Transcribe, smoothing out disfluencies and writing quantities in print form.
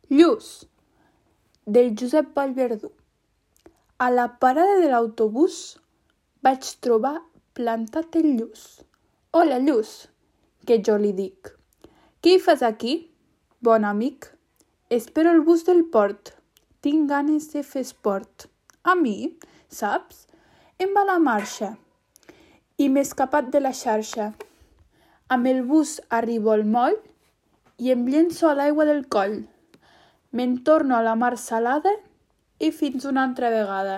Lluç, del Josep Vallverdú. A la parada de l'autobús vaig trobar plantat el Lluç. Hola, Lluç, que jo li dic. Què hi fas aquí, bon amic? Espero el bus del port. Tinc ganes de fer esport. A mi, saps? Em va la marxa i m'he escapat de la xarxa. Amb el bus arribo al moll i em llenço a l'aigua del coll. Me'n torno a la mar salada i fins una altra vegada.